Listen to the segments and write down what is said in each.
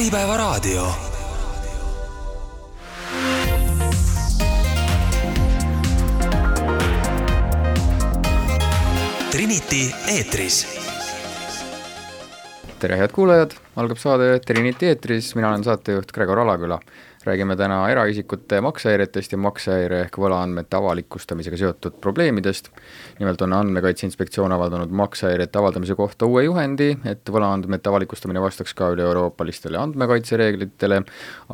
Äripäevaraadio. Trinity eetris. Tere head kuulajad, algab saade Trinity eetris, mina olen saatejuht Gregor Alaküla. Räägime täna eraisikute maksehäiretest ja maksehäire ehk võlaandmete avalikustamisega seotud probleemidest. Nimelt on Andmekaitse Inspektsioon avaldanud maksehäirete avaldamise kohta uue juhendi, et võlaandmete avalikustamine vastaks ka üle-euroopalistele andmekaitsereeglitele,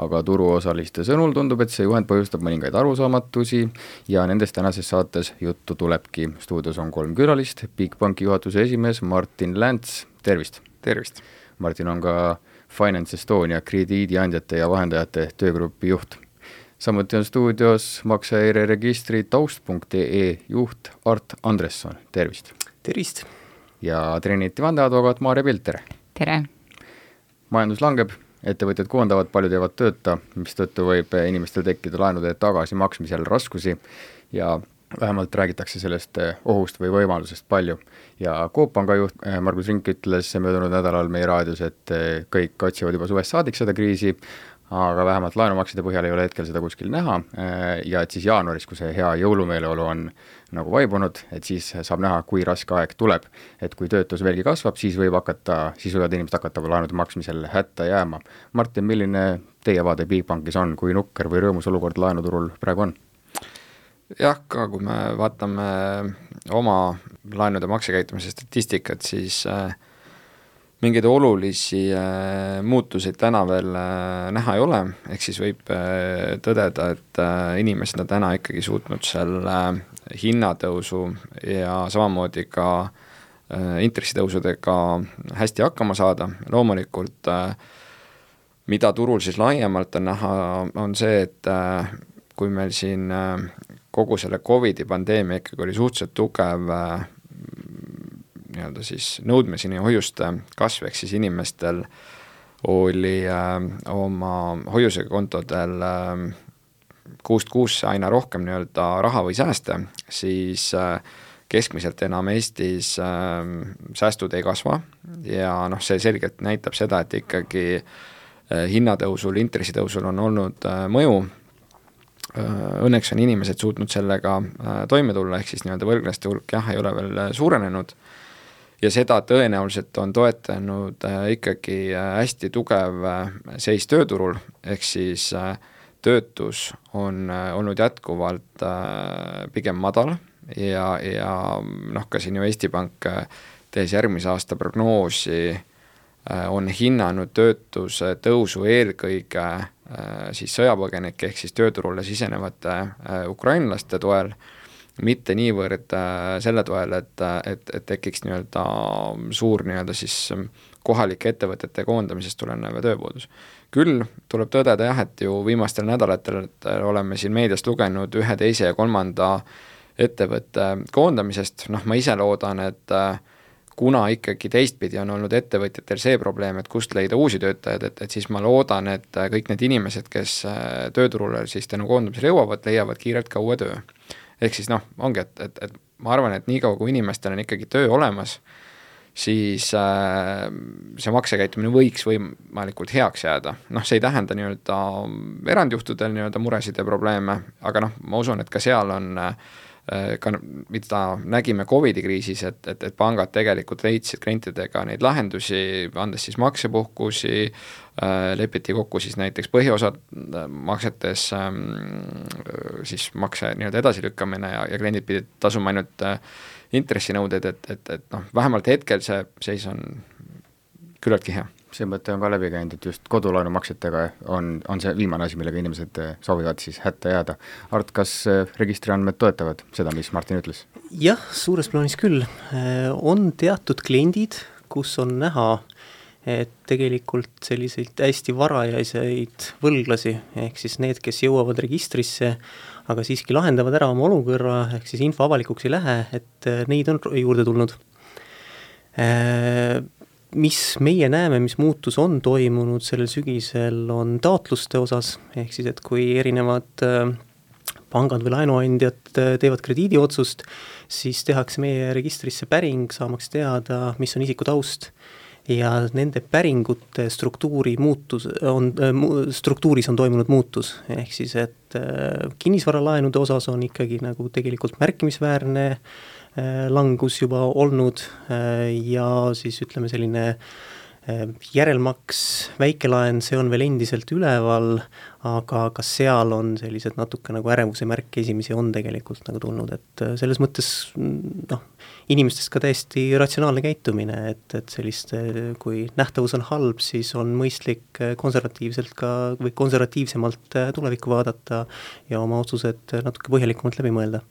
aga turuosaliste sõnul tundub, et see juhend põhjustab mõningaid arusaamatusi ja nendest tänases saates juttu tulebki. Stuudios on 3 külalist, Bigbanki juhatuse esimees Martin Länts, tervist! Tervist! Martin on ka Finance Estonia krediidiandjate ja vahendajate töögrupi juht. Samuti on stuudios maksehäire registri taust.ee juht Art Andresson. Tervist! Tervist! Ja Trinity vandeadvokaat Maarja Pilter. Tere! Majandus langeb, ettevõtjad koondavad, paljud jäävad tööta, mistõttu võib inimestel tekkida laenude tagasimaksmisel raskusi ja vähemalt räägitakse sellest ohust või võimalusest palju. Ja Coop Panga juht Margus Rink ütles möödunud nädalal meie raadios, et kõik otsivad juba suvest saadik seda kriisi, aga vähemalt laenumakside põhjal ei ole hetkel seda kuskil näha ja et siis jaanuaris, kui see hea jõulumeeleolu on nagu vaibunud, et siis saab näha, kui raske aeg tuleb. Et kui töötus veelgi kasvab, siis võivad inimesed hakata laenude maksmisel hätta jääma. Martin, milline teie vaade Bigbankis on, kui nukker või rõõmus olukord laenuturul praegu on? Jah, ka kui me vaatame oma laenude maksekäitumise statistikat, siis mingeid olulisi muutuseid täna veel näha ei ole, ehk siis võib tõdeda, et inimesed on täna ikkagi suutnud selle hinnatõusu ja samamoodi ka intressitõusudega hästi hakkama saada. Loomulikult, mida turul siis laiemalt on näha, on see, et kui meil siin kogu selle COVID-i pandeemia ikkagi oli suhteliselt tugev nii-öelda siis nõudmiseni hoiuste kasv, ehk siis inimestel oli oma hoiusega kontodel kuust kuusse aina rohkem nii-öelda raha või sääste, siis keskmiselt enam Eestis säästud ei kasva ja see selgelt näitab seda, et ikkagi hinnatõusul, intressitõusul on olnud mõju. Õnneks on inimesed suutnud sellega toime tulla, ehk siis nii-öelda võlglaste hulk ei ole veel suurenenud ja seda tõenäoliselt on toetanud ikkagi hästi tugev seis tööturul, ehk siis töötus on olnud jätkuvalt pigem madal ja ka siin ju Eesti Pank tehes järgmise aasta prognoosi on hinnanud töötuse tõusu eelkõige siis sõjapõgenike ehk siis tööturule sisenevate ukrainlaste toel, mitte niivõrd selle toel, et tekiks nii-öelda suur nii-öelda siis kohalike ettevõtete koondamisest tulenev tööpuudus. Küll tuleb tõdeda et ju viimastel nädalatel oleme siin meediast lugenud 1, 2 ja 3 ettevõtte koondamisest, ma ise loodan, et kuna ikkagi teistpidi on olnud ettevõtjatel see probleem, et kust leida uusi töötajad, et siis ma loodan, et kõik need inimesed, kes tööturule siis tänu koondamisele jõuavad, leiavad kiirelt ka uue töö. Ehk siis ongi, et ma arvan, et nii kaua kui inimestel on ikkagi töö olemas, siis see maksekäitumine võiks võimalikult heaks jääda. See ei tähenda nii-öelda erandjuhtudel nii-öelda muresid ja probleeme, aga ma usun, et ka seal on ka mida nägime COVID-i kriisis, et pangad tegelikult leidsid klientidega neid lahendusi, andes siis maksepuhkusi, lepiti kokku siis näiteks põhiosad maksetes siis makse nii-öelda edasilükkamine ja kliendid pidid tasuma ainult intressinõuded, et vähemalt hetkel see seis on küllaltki hea. See mõte on ka läbi käinud, et just kodulaenumaksetega on see viimane asi, millega inimesed soovivad siis hätta jääda. Art, kas registriandmed toetavad seda, mis Martin ütles? Jah, suures plaanis küll. On teatud kliendid, kus on näha, et tegelikult selliseid hästi varajaiseid võlglasi, ehk siis need, kes jõuavad registrisse, aga siiski lahendavad ära oma olukorra, ehk siis info avalikuks ei lähe, et neid on juurde tulnud. Mis meie näeme, mis muutus on toimunud sellel sügisel, on taotluste osas, ehk siis, et kui erinevad pangad või laenuandjad teevad krediidiotsust, siis tehakse meie registrisse päring, saamaks teada, mis on isiku taust. ja nende päringute struktuuris on toimunud muutus, ehk siis, et kinnisvaralaenude osas on ikkagi nagu tegelikult märkimisväärne langus juba olnud ja siis ütleme selline järelmaks, väikelaen, see on veel endiselt üleval, aga ka seal on sellised natuke nagu ärevuse märke esimesi on tegelikult nagu tulnud, et selles mõttes inimestest ka täiesti ratsionaalne käitumine, et sellist, kui nähtavus on halb, siis on mõistlik konservatiivselt ka või konservatiivsemalt tulevikku vaadata ja oma otsused natuke põhjalikumalt läbi mõelda.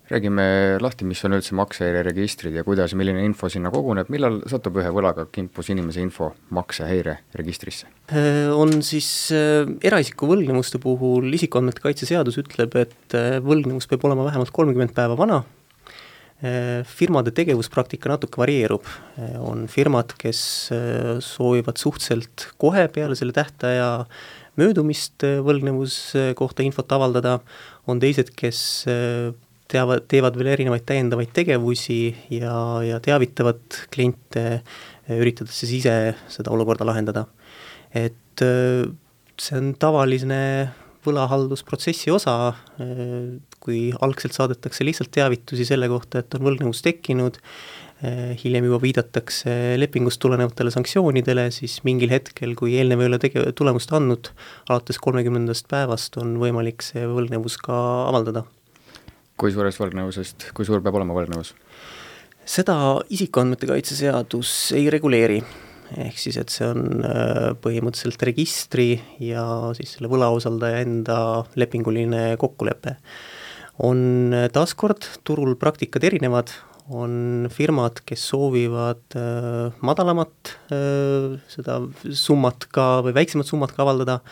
Räägime lahti, mis on üldse maksehäireregistrid ja kuidas, milline info sinna koguneb, millal satub ühe võlaga kimpus inimese info maksehäireregistrisse? On siis eraisiku võlgnevuste puhul isikuandmete kaitse seadus ütleb, et võlgnevus peab olema vähemalt 30 päeva vana. Firmade tegevuspraktika natuke varieerub. On firmad, kes soovivad suhteliselt kohe peale selle tähtaja möödumist võlgnevus kohta infot avaldada, on teised, kes teevad veel erinevaid täiendavaid tegevusi ja teavitavad kliente, üritades siis ise seda olukorda lahendada. Et see on tavaline võlahaldusprotsessi osa, kui algselt saadetakse lihtsalt teavitusi selle kohta, et on võlgnevus tekkinud, hiljem juba viidatakse lepingust tulenevatele sanktsioonidele, siis mingil hetkel, kui eelnev ei ole tulemust andnud, alates 30. päevast on võimalik see võlgnevus ka avaldada. Kui suurest võlgnevusest, kui suur peab olema võlgnevus? Seda isikuandmete kaitse seadus ei reguleeri, ehk siis, et see on põhimõtteliselt registri ja siis selle võlausaldaja enda lepinguline kokkulepe. On taaskord turul praktikad erinevad, on firmad, kes soovivad madalamat seda summat ka või väiksemat summat ka avaldada.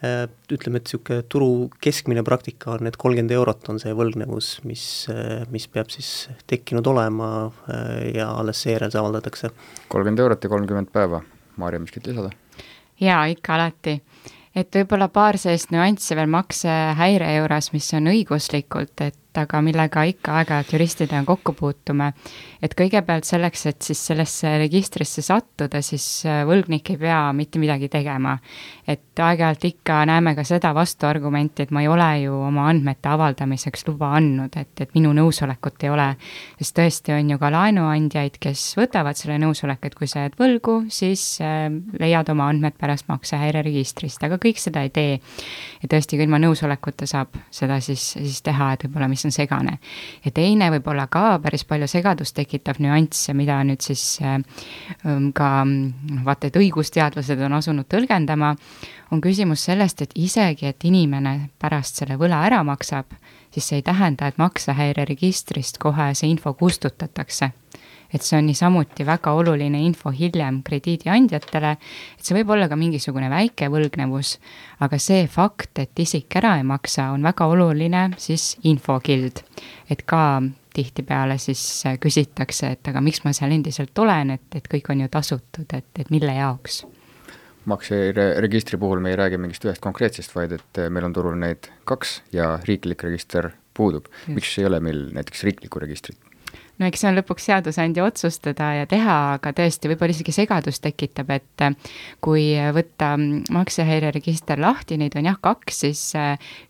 Ütleme, et niisugune turu keskmine praktika on, et 30 eurot on see võlgnevus, mis peab siis tekkinud olema ja alles seejärel see avaldatakse. 30 eurot ja 30 päeva. Maarja, miskit lisada? Jaa, ikka alati. Et võib-olla paar sellist nüanssi veel maksehäire juures, mis on õiguslikult, et aga millega ikka aeg-ajalt juristidega kokku puutume. Et kõigepealt selleks, et siis sellesse registrisse sattuda, siis võlgnik ei pea mitte midagi tegema. Et aeg-ajalt ikka näeme ka seda vastuargumenti, et ma ei ole ju oma andmete avaldamiseks luba andnud, et minu nõusolekut ei ole. Sest tõesti on ju ka laenuandjaid, kes võtavad selle nõusolek, et kui sa jääd võlgu, siis leiad oma andmed pärast maksehäire registrist, aga kõik seda ei tee. Ja tõesti, kui ilma nõusolekuta saab seda siis teha, et võib-olla mis on segane. Ja teine võib-olla ka päris palju segadust tekitav nüansse, mida nüüd siis ka vaata, et õigusteadlased on asunud tõlgendama, on küsimus sellest, et isegi, et inimene pärast selle võla ära maksab, siis see ei tähenda, et maksehäire registrist kohe see info kustutatakse. Et see on niisamuti väga oluline info hiljem krediidiandjatele, et see võib olla ka mingisugune väike võlgnevus, aga see fakt, et isik ära ei maksa, on väga oluline siis infokild. Et ka tihtipeale siis küsitakse, et aga miks ma seal endiselt olen, et kõik on ju tasutud, et mille jaoks? Makseregistri puhul me ei räägi mingist ühest konkreetsest, vaid et meil on turul neid 2 ja riiklik register puudub. Miks ei ole meil näiteks riiklikku registrit? No eks see on lõpuks seadusandja otsustada ja teha, aga tõesti võib-olla isegi segadust tekitab, et kui võtta maksehäire register lahti, neid on 2, siis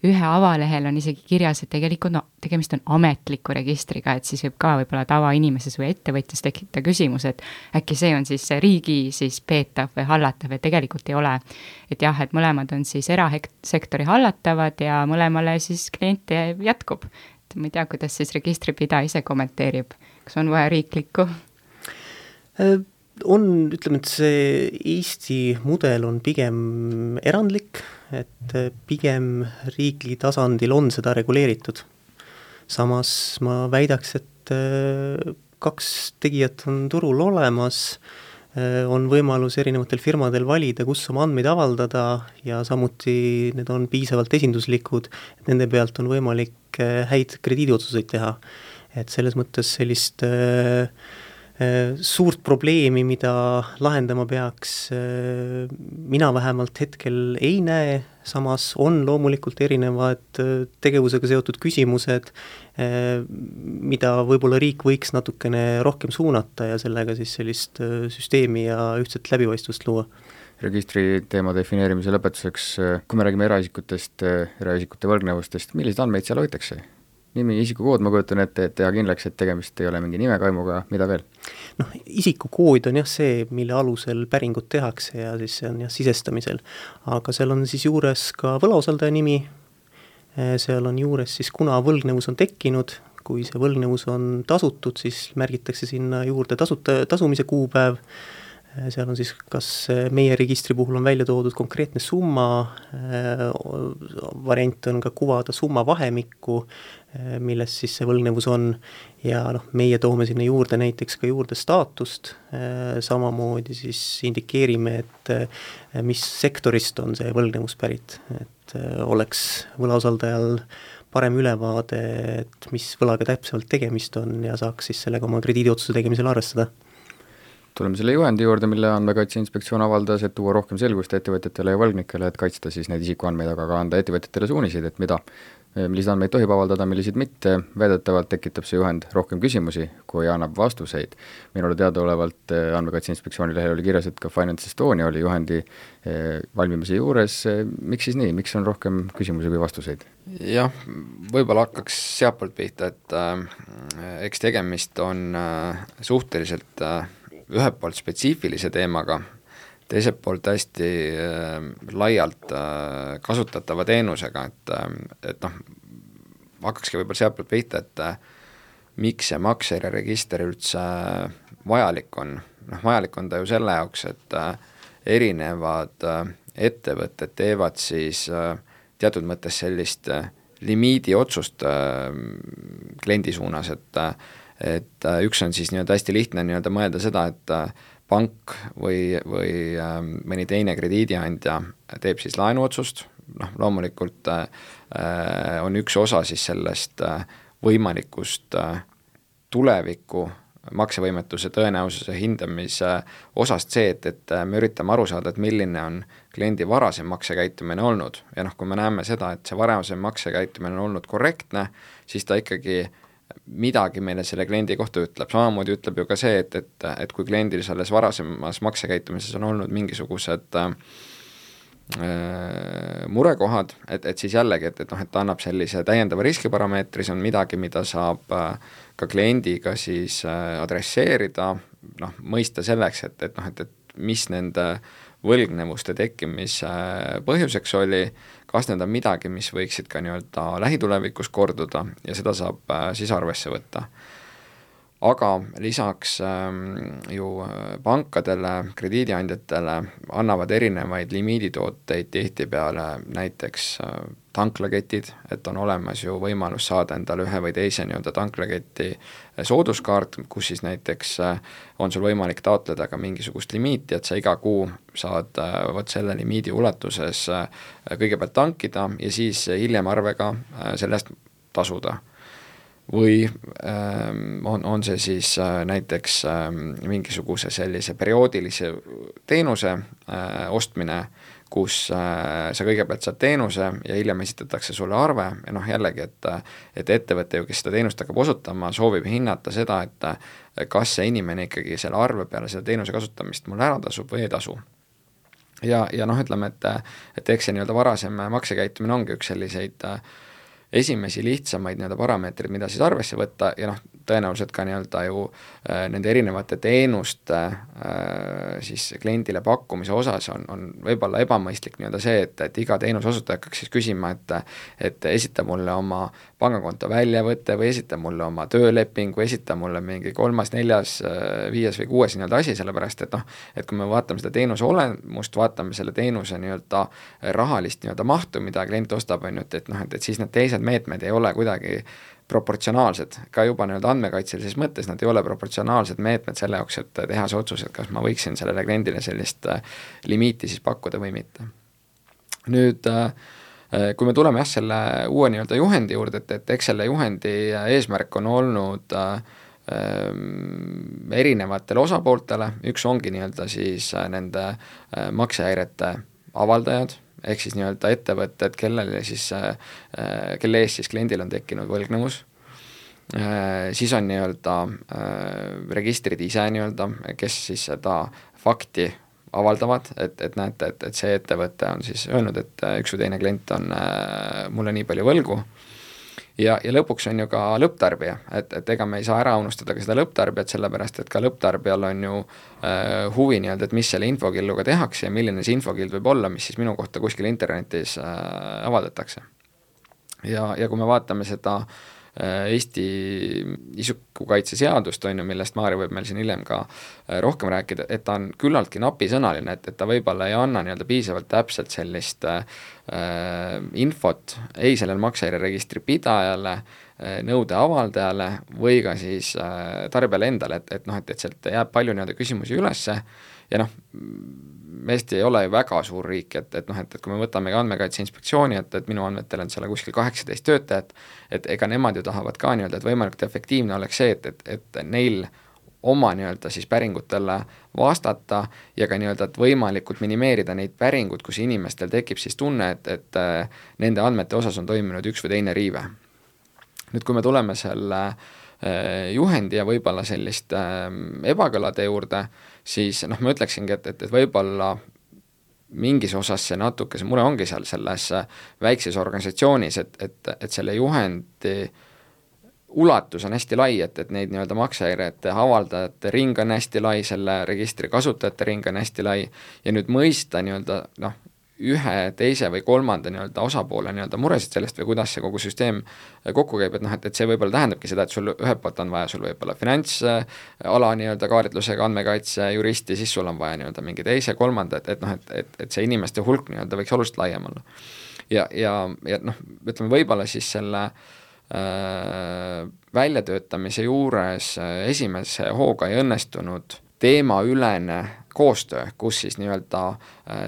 ühe avalehel on isegi kirjas, et tegelikult tegemist on ametliku registriga, et siis võib ka võib-olla tavainimises või ettevõtjas tekitada küsimus, et äkki see on siis riigi siis peetav või hallatav, et tegelikult ei ole. Et jah, et mõlemad on siis erasektori hallatavad ja mõlemale siis kliente jätkub. Ma ei tea, kuidas siis registripidaja ise kommenteerib. Kas on vaja riiklikku? Ütleme, et see Eesti mudel on pigem erandlik, et pigem riikli tasandil on seda reguleeritud. Samas ma väidaks, et 2 tegijat on turul olemas, on võimalus erinevatel firmadel valida, kus oma andmeid avaldada ja samuti need on piisavalt esinduslikud, et nende pealt on võimalik häid krediidiotsuseid teha. Et selles mõttes sellist suurt probleemi, mida lahendama peaks, mina vähemalt hetkel ei näe, samas on loomulikult erinevad tegevusega seotud küsimused, mida võib-olla riik võiks natukene rohkem suunata ja sellega siis sellist süsteemi ja ühtset läbipaistvust luua. Registri teema defineerimise lõpetuseks, kui me räägime eraisikutest, eraisikute võlgnevustest, milliseid andmeid seal hoitakse? Nimi, isikukood, ma kujutan ette, et teha kindlaks, et tegemist ei ole mingi nimekaimuga, mida veel? Isikukood on jah see, mille alusel päringut tehakse ja siis see on jah sisestamisel. Aga seal on siis juures ka võlausaldaja nimi, seal on juures siis kuna võlgnevus on tekkinud, kui see võlgnevus on tasutud, siis märgitakse sinna juurde tasumise kuupäev, seal on siis kas meie registri puhul on välja toodud konkreetne summa, variant on ka kuvada summa vahemikku, milles siis see võlgnevus on ja meie toome sinna juurde näiteks ka juurde staatust, samamoodi siis indikeerime, et mis sektorist on see võlgnevus pärit, et oleks võlausaldajal parem ülevaade, et mis võlaga täpselt tegemist on ja saaks siis sellega oma krediidiotsuse tegemisel arvestada. Tuleme selle juhendi juurde, mille Andmekaitse Inspektsioon avaldas, et tuua rohkem selgust ettevõtjatele ja võlgnikele, et kaitsta siis neid isikuandmeid, aga ka anda ettevõtjatele suuniseid, et milliseid andmeid tohib avaldada, milliseid mitte. Väidetavalt tekitab see juhend rohkem küsimusi, kui annab vastuseid. Minule teadaolevalt Andmekaitse Inspektsiooni lehel oli kirjas, et ka Finance Estonia oli juhendi valmimise juures. Miks siis nii? Miks on rohkem küsimusi kui vastuseid? Jah, võib-olla hakkaks sealtpoolt pihta, et eks tegemist on suhteliselt ühelt poolt spetsiifilise teemaga, teiselt poolt hästi laialt kasutatava teenusega, et hakkakski võib-olla sealtpoolt pihta, et miks see maksejärjeregister üldse vajalik on. Vajalik on ta ju selle jaoks, et erinevad ettevõtted teevad siis teatud mõttes sellist limiidi otsust kliendi suunas, et üks on siis nii-öelda hästi lihtne nii-öelda mõelda seda, et pank või mõni teine krediidiandja teeb siis laenuotsust, loomulikult on üks osa siis sellest võimalikust tuleviku maksevõimetuse tõenäosuse hindamise osast see, et me üritame aru saada, et milline on kliendi varasem maksekäitumine olnud ja kui me näeme seda, et see varasem maksekäitumine on olnud korrektne, siis ta ikkagi midagi meile selle kliendi kohta ütleb. Samamoodi ütleb ju ka see, et kui kliendil selles varasemas maksekäitumises on olnud mingisugused murekohad, et siis jällegi, et ta annab sellise täiendava riskiparameetri, see on midagi, mida saab ka kliendiga siis adresseerida, mõista selleks, et mis nende võlgnevuste tekkimise põhjuseks oli, kas need on midagi, mis võiksid ka nii-öelda lähitulevikus korduda ja seda saab siis arvesse võtta. Aga lisaks ju pankadele, krediidiandjatele annavad erinevaid limiiditooteid tihtipeale näiteks tanklaketid, et on olemas ju võimalus saada endale ühe või teise nii-öelda tanklaketi sooduskaart, kus siis näiteks on sul võimalik taotleda ka mingisugust limiiti, et sa iga kuu saad vot selle limiidi ulatuses kõigepealt tankida ja siis hiljem arvega sellest tasuda. Või on see siis näiteks mingisuguse sellise perioodilise teenuse ostmine, kus sa kõigepealt saad teenuse ja hiljem esitatakse sulle arve ja jällegi, et ettevõte ju, kes seda teenust hakkab osutama, soovib hinnata seda, et kas see inimene ikkagi selle arve peale selle teenuse kasutamist mul ära tasub või ei tasu. Ja ütleme, et eks see nii-öelda varasem maksekäitumine ongi üks selliseid esimesi lihtsamaid nii-öelda parameetrid, mida siis arvesse võtta ja tõenäoliselt ka nii-öelda ju nende erinevate teenuste siis kliendile pakkumise osas on võib-olla ebamõistlik nii-öelda see, et iga teenuse osutaja hakkaks siis küsima, et esita mulle oma pangakonto väljavõtte või esita mulle oma tööleping või esita mulle mingi 3., 4., 5. või 6. nii-öelda asi, sellepärast et kui me vaatame seda teenuse olemust, vaatame selle teenuse nii-öelda rahalist nii-öelda mahtu, mida klient ostab, et siis need teised meetmed ei ole kuidagi proportsionaalsed, ka juba nii-öelda andmekaitselises mõttes nad ei ole proportsionaalsed meetmed selle jaoks, et teha see otsus, et kas ma võiksin sellele kliendile sellist limiiti siis pakkuda või mitte. Nüüd, kui me tuleme selle uue nii-öelda juhendi juurde, et eks selle juhendi eesmärk on olnud erinevatele osapooltele, üks ongi nii-öelda siis nende maksehäirete avaldajad, ehk siis nii-öelda ettevõtted, kelle eest siis kliendil on tekkinud võlgnevus, siis on nii-öelda registrid ise nii-öelda, kes siis seda fakti avaldavad, et näete, et see ettevõte on siis öelnud, et üks või teine klient on mulle nii palju võlgu, ja lõpuks on ju ka lõpptarbija, et ega me ei saa ära unustada ka seda lõpptarbijat, sellepärast et ka lõpptarbijal on ju huvi nii-öelda, et mis selle infokilluga tehakse ja milline see infokild võib olla, mis siis minu kohta kuskil internetis avaldatakse. Ja kui me vaatame seda Eesti isikukaitseseadust, on ju, millest Maarja võib meil siin hiljem ka rohkem rääkida, et ta on küllaltki napisõnaline, et ta võib-olla ei anna nii-öelda piisavalt täpselt sellist infot ei sellel maksehäireregistri pidajale, nõude avaldajale või ka siis tarbijale endale, et sealt jääb palju nii-öelda küsimusi ülesse ja Eesti ei ole ju väga suur riik, et kui me võtame ka Andmekaitse Inspektsiooni, et minu andmetel on seal kuskil 18 töötajat, et ega nemad ju tahavad ka nii-öelda, et võimalikult efektiivne oleks see, et neil oma nii-öelda siis päringutele vastata ja ka nii-öelda, et võimalikult minimeerida neid päringud, kus inimestel tekib siis tunne, et nende andmete osas on toimunud üks või teine riive. Nüüd, kui me tuleme selle juhendi ja võib-olla selliste ebakõlade juurde, siis ma ütleksingi, et võib-olla mingis osas see natuke, see mure ongi seal selles väikses organisatsioonis, et selle juhendi ulatus on hästi lai, et neid nii-öelda maksehäirete avaldajate ring on hästi lai, selle registri kasutajate ring on hästi lai ja nüüd mõista nii-öelda ühe, teise või kolmanda nii-öelda osapoole nii-öelda muresid sellest või kuidas see kogu süsteem kokku käib, et see võib-olla tähendabki seda, et sul ühelt poolt on vaja sul võib-olla finantsala nii-öelda kaarditlusega andmekaitse juristi, siis sul on vaja nii-öelda mingi teise, kolmanda, et see inimeste hulk nii-öelda võiks oluliselt laiem olla. Ja ütleme võib-olla siis selle väljatöötamise juures esimese hooga ei õnnestunud teemaülene koostöö, kus siis nii-öelda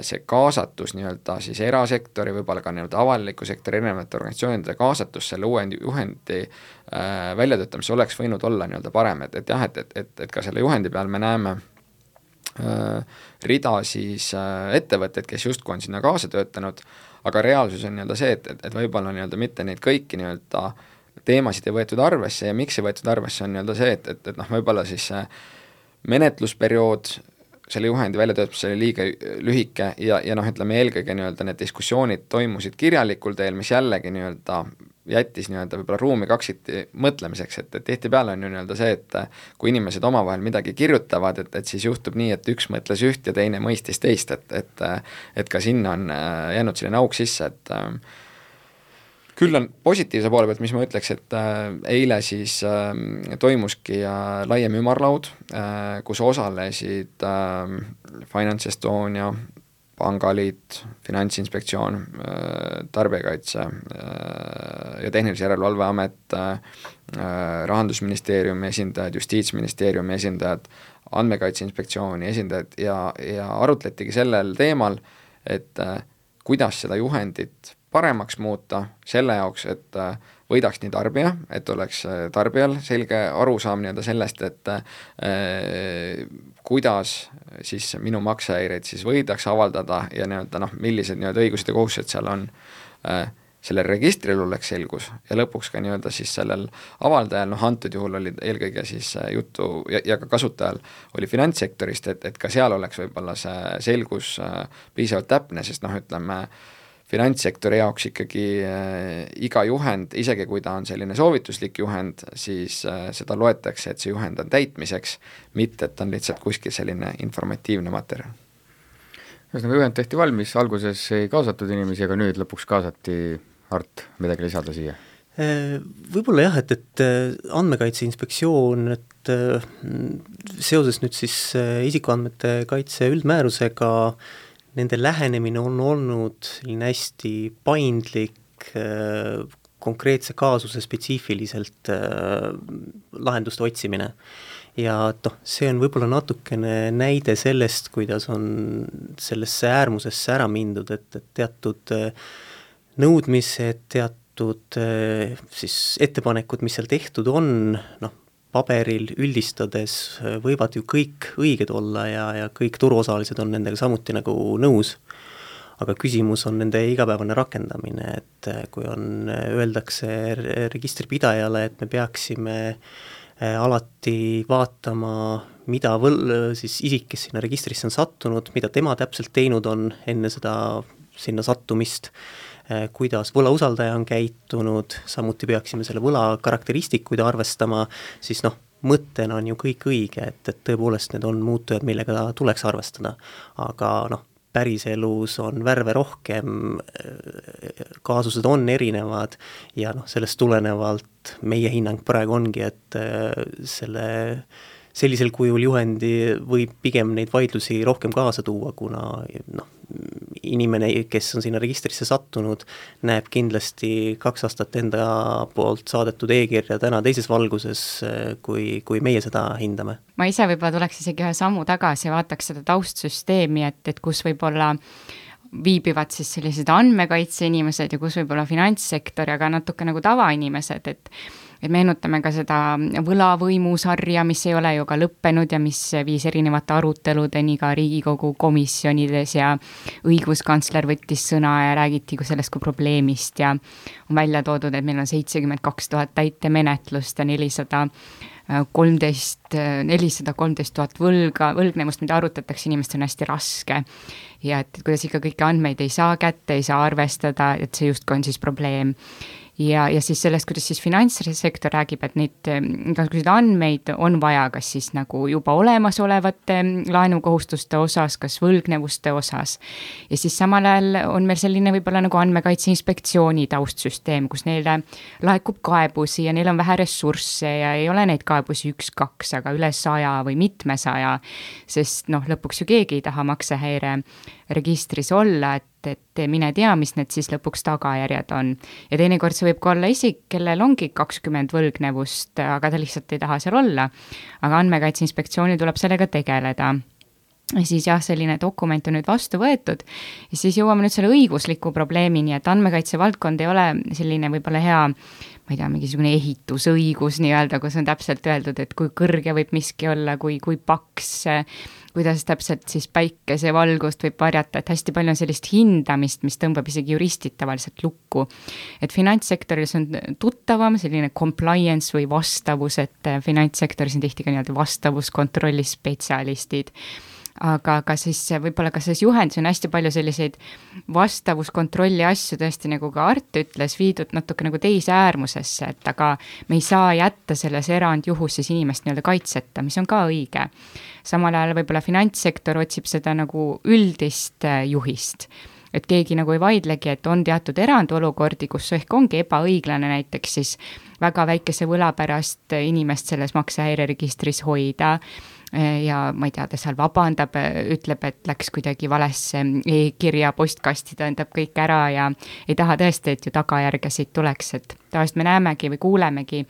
see kaasatus nii-öelda siis erasektori, võib-olla ka nii-öelda avaliku sektori erinevate organisatsioonide kaasatus selle juhendi väljatöötamisse oleks võinud olla nii-öelda parem, et jah, et ka selle juhendi peal me näeme rida siis ettevõtteid, kes justkui on sinna kaasa töötanud, aga reaalsus on nii-öelda see, et võib-olla nii-öelda mitte neid kõiki nii-öelda teemasid ei võetud arvesse ja miks ei võetud arvesse on nii-öelda see, et võib-olla siis menetlusperiood selle juhendi väljatöötamisel oli liiga lühike ja ütleme eelkõige nii-öelda need diskussioonid toimusid kirjalikul teel, mis jällegi nii-öelda jättis nii-öelda võib-olla ruumi kaksiti mõtlemiseks, et tihtipeale on ju nii-öelda see, et kui inimesed omavahel midagi kirjutavad, et siis juhtub nii, et üks mõtles üht ja teine mõistis teist, et ka sinna on jäänud selline auk sisse, et küll on positiivse poole pealt, mis ma ütleks, et eile siis toimuski laiem ümarlaud, kus osalesid Finance Estonia, Pangaliit, Finantsinspektsioon, Tarbijakaitse ja Tehnilise Järelevalve Amet, Rahandusministeeriumi esindajad, Justiitsministeeriumi esindajad, Andmekaitse Inspektsiooni esindajad ja arutletigi sellel teemal, et kuidas seda juhendit paremaks muuta selle jaoks, et võidaks nii tarbija, et oleks tarbijal selge arusaam nii-öelda sellest, et kuidas siis minu maksehäireid siis võidaks avaldada ja nii-öelda millised nii-öelda õigused ja kohustused seal on, sellel registril oleks selgus ja lõpuks ka nii-öelda siis sellel avaldajal, antud juhul oli eelkõige siis juttu ja ka kasutajal oli finantssektorist, et ka seal oleks võib-olla see selgus piisavalt täpne, sest ütleme, finantssektori jaoks ikkagi iga juhend, isegi kui ta on selline soovituslik juhend, siis seda loetakse, et see juhend on täitmiseks, mitte et ta on lihtsalt kuskil selline informatiivne materjal. Ühesõnaga juhend tehti valmis, alguses ei kaasatud inimesi, aga nüüd lõpuks kaasati. Art, midagi lisada siia? Võib-olla jah, et Andmekaitse Inspektsioon, et seoses nüüd siis isikuandmete kaitse üldmäärusega nende lähenemine on olnud hästi paindlik, konkreetse kaasuse spetsiifiliselt lahenduste otsimine. Ja see on võib-olla natukene näide sellest, kuidas on sellesse äärmusesse ära mindud, et teatud nõudmised, teatud siis ettepanekud, mis seal tehtud on, paberil üldistades võivad ju kõik õiged olla ja kõik turuosalised on nendega samuti nagu nõus, aga küsimus on nende igapäevane rakendamine, et kui öeldakse registripidajale, et me peaksime alati vaatama, mida siis isik, kes sinna registrisse on sattunud, mida tema täpselt teinud on enne seda sinna sattumist, kuidas võlausaldaja on käitunud, samuti peaksime selle võla karakteristikuid arvestama, siis mõttena on ju kõik õige, et tõepoolest need on muutujad, millega tuleks arvestada, aga päriselus on värve rohkem, kaasused on erinevad ja sellest tulenevalt meie hinnang praegu ongi, et sellisel kujul juhendi võib pigem neid vaidlusi rohkem kaasa tuua, kuna inimene, kes on sinna registrisse sattunud, näeb kindlasti 2 aastat enda poolt saadetud e-kirja täna teises valguses, kui meie seda hindame. Ma ise võib-olla tuleks isegi ühe sammu tagasi ja vaataks seda taustsüsteemi, et kus võib-olla viibivad siis sellised andmekaitse inimesed ja kus võib-olla finantssektor ja ka natuke nagu tavainimesed, et meenutame ka seda võlavõimusarja, mis ei ole ju ka lõppenud ja mis viis erinevate aruteludeni ka Riigikogu komisjonides ja õiguskantsler võttis sõna ja räägiti sellest kui probleemist ja on välja toodud, et meil on 72 000 täitemenetlust ja 413 000 võlgnevust, mida arutatakse, inimestel on hästi raske ja et kuidas ikka kõiki andmeid ei saa kätte, ei saa arvestada, et see justkui on siis probleem. Ja siis sellest, kuidas siis finantssektor räägib, et neid igasuguseid andmeid on vaja, kas siis nagu juba olemasolevate laenukohustuste osas, kas võlgnevuste osas. Ja siis samal ajal on meil selline võib-olla nagu andmekaitse inspektsiooni taustsüsteem, kus neile laekub kaebusi ja neil on vähe ressursse ja ei ole neid kaebusi 1-2, aga üle 100 või mitmesaja, sest lõpuks ju keegi ei taha maksehäire registris olla, et mine tea, mis need siis lõpuks tagajärjed on. Ja teinekord see võib ka olla isik, kellel ongi 20 võlgnevust, aga ta lihtsalt ei taha seal olla. Aga andmekaitse inspektsioonil tuleb sellega tegeleda. Ja siis selline dokument on nüüd vastu võetud ja siis jõuame nüüd selle õigusliku probleemini, et andmekaitse valdkond ei ole selline võib-olla hea, ma ei tea, mingisugune ehitusõigus nii-öelda, kus on täpselt öeldud, et kui kõrge võib miski olla, kui paks, kuidas täpselt siis päikesevalgust võib varjata, et hästi palju on sellist hindamist, mis tõmbab isegi juristid tavaliselt lukku. Et finantssektoris on tuttavam selline compliance või vastavus, et finantssektoris on tihti ka nii-öelda vastavuskontrolli spetsialistid. Aga ka siis võib-olla ka selles juhendis on hästi palju selliseid vastavuskontrolli asju tõesti, nagu ka Art ütles, viidud natuke nagu teise äärmusesse, et aga me ei saa jätta selles erandjuhuses inimest nii-öelda kaitseta, mis on ka õige. Samal ajal võib-olla finantssektor otsib seda nagu üldist juhist, et keegi nagu ei vaidlegi, et on teatud erandolukordi, kus ehk ongi ebaõiglane näiteks siis väga väikese võla pärast inimest selles maksehäireregistris hoida ja ma ei tea, ta seal vabandab, ütleb, et läks kuidagi valesse e-kirja postkasti, tähendab kõik ära ja ei taha tõesti, et ju tagajärgesid tuleks, et tavaliselt me näemegi või kuulemegi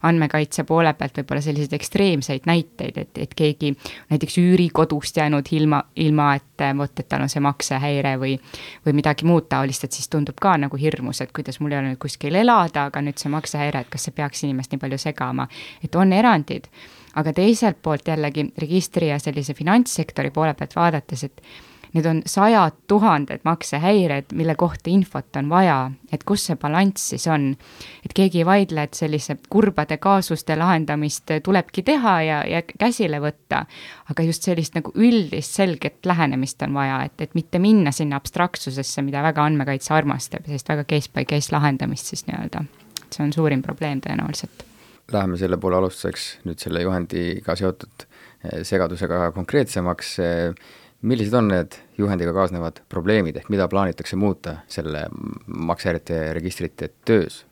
andmekaitse poole pealt võib-olla selliseid ekstreemseid näiteid, et keegi näiteks üürikodust jäänud ilma et tal on see maksehäire või midagi muud taolist, et siis tundub ka nagu hirmus, et kuidas mul ei ole nüüd kuskil elada, aga nüüd see maksehäire, et kas see peaks inimest nii palju segama, et on erandid. Aga teiselt poolt jällegi registri ja sellise finantssektori poole pealt vaadates, et need on 100 000 maksehäired, mille kohta infot on vaja, et kus see balanss siis on. Et keegi ei vaidle, et sellise kurbade kaasuste lahendamist tulebki teha ja käsile võtta, aga just sellist nagu üldist selget lähenemist on vaja, et mitte minna sinna abstraktsusesse, mida väga andmekaitse armastab, sellist väga case by case lahendamist siis nii-öelda. See on suurim probleem tõenäoliselt. Läheme selle poole alustuseks nüüd selle juhendiga seotud segadusega konkreetsemaks. Millised on need juhendiga kaasnevad probleemid ehk mida plaanitakse muuta selle maksehäirete registrite töös?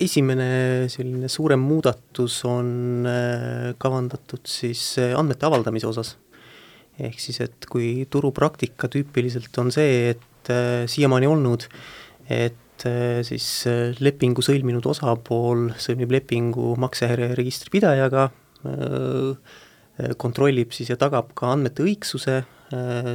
Esimene selline suurem muudatus on kavandatud siis andmete avaldamise osas. Ehk siis, et kui turupraktika tüüpiliselt on see, et siiamaani olnud, et siis lepingu sõlminud osapool sõlmib lepingu maksehäire registripidajaga, kontrollib siis ja tagab ka andmete õigsuse,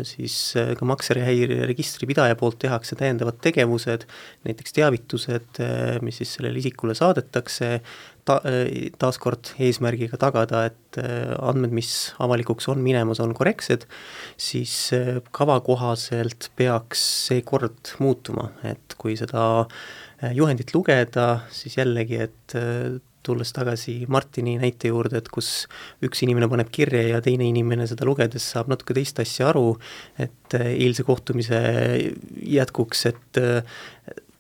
siis ka maksehäire registripidaja poolt tehakse täiendavad tegevused, näiteks teavitused, mis siis sellele isikule saadetakse, taaskord eesmärgiga tagada, et andmed, mis avalikuks on minemas, on korrektsed, siis kava kohaselt peaks see kord muutuma, et kui seda juhendit lugeda, siis jällegi, et tulles tagasi Martini näite juurde, et kus üks inimene paneb kirja ja teine inimene seda lugedes saab natuke teist asja aru, et eilse kohtumise jätkuks, et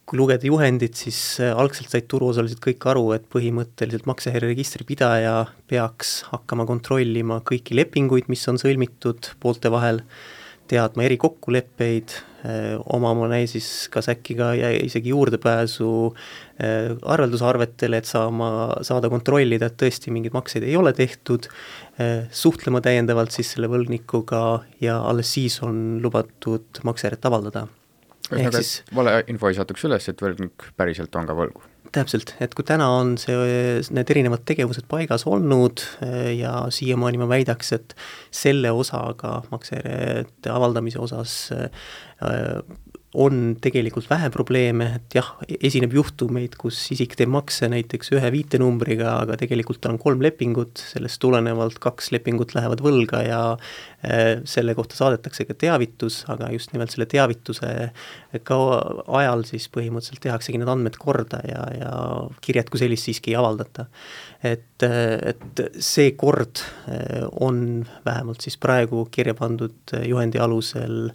kui lugeda juhendit, siis algselt said turuosalised kõik aru, et põhimõtteliselt maksehäireregistri pidaja peaks hakkama kontrollima kõiki lepinguid, mis on sõlmitud poolte vahel, teadma erikokkuleppeid, omama siis kas äkki ka isegi juurdepääsu arveldusarvetele, et saada kontrollida, et tõesti mingeid makseid ei ole tehtud, suhtlema täiendavalt siis selle võlgnikuga ja alles siis on lubatud maksehäiret avaldada. Ühesõnaga, et vale info ei satuks üles, et võlgnik päriselt on ka võlgu. Täpselt, et kui täna on need erinevad tegevused paigas olnud ja siiamaani ma väidaks, et selle osaga maksehäirete avaldamise osas on tegelikult vähe probleeme, et jah, esineb juhtumeid, kus isik teeb makse näiteks ühe viitenumbriga, aga tegelikult tal on 3 lepingut, sellest tulenevalt 2 lepingut lähevad võlga ja selle kohta saadetakse ka teavitus, aga just nimelt selle teavituse ka ajal siis põhimõtteliselt tehaksegi need andmed korda ja kirjad kui sellist siiski ei avaldata. Et see kord on vähemalt siis praegu kirja pandud juhendi alusel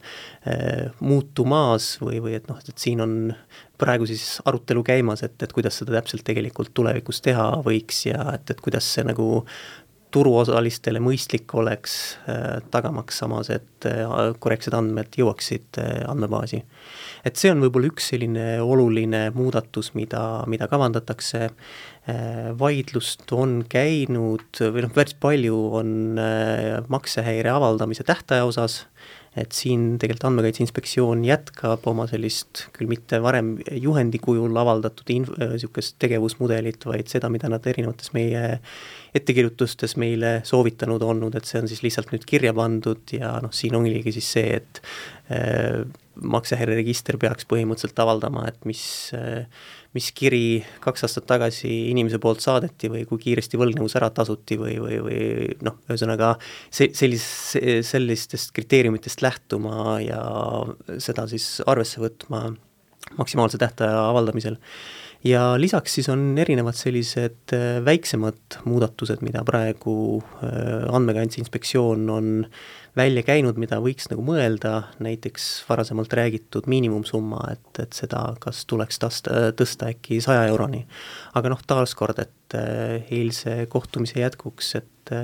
muutumaas või et et siin on praegu siis arutelu käimas, et kuidas seda täpselt tegelikult tulevikus teha võiks ja et kuidas see nagu turuosalistele mõistlik oleks, tagamaks samas, et korrektsed andmed jõuaksid andmebaasi. Et see on võib-olla üks selline oluline muudatus, mida kavandatakse. Vaidlust on käinud või päris palju on maksehäire avaldamise tähtaja osas, et siin tegelikult Andmekaitse Inspektsioon jätkab oma sellist küll mitte varem juhendi kujul avaldatud niisugust tegevusmudelit, vaid seda, mida nad erinevates meie ettekirjutustes meile soovitanud olnud, et see on siis lihtsalt nüüd kirja pandud ja siin ongi siis see, et maksehäireregister peaks põhimõtteliselt avaldama, et mis kiri 2 aastat tagasi inimese poolt saadeti või kui kiiresti võlgnevus ära tasuti või ühesõnaga sellistest kriteeriumitest lähtuma ja seda siis arvesse võtma maksimaalse tähtaja avaldamisel. Ja lisaks siis on erinevad sellised väiksemad muudatused, mida praegu Andmekaitse Inspektsioon on välja käinud, mida võiks nagu mõelda, näiteks varasemalt räägitud miinimumsumma, et seda kas tuleks tõsta äkki 100 euroni. Aga taaskord, et eilse kohtumise jätkuks, et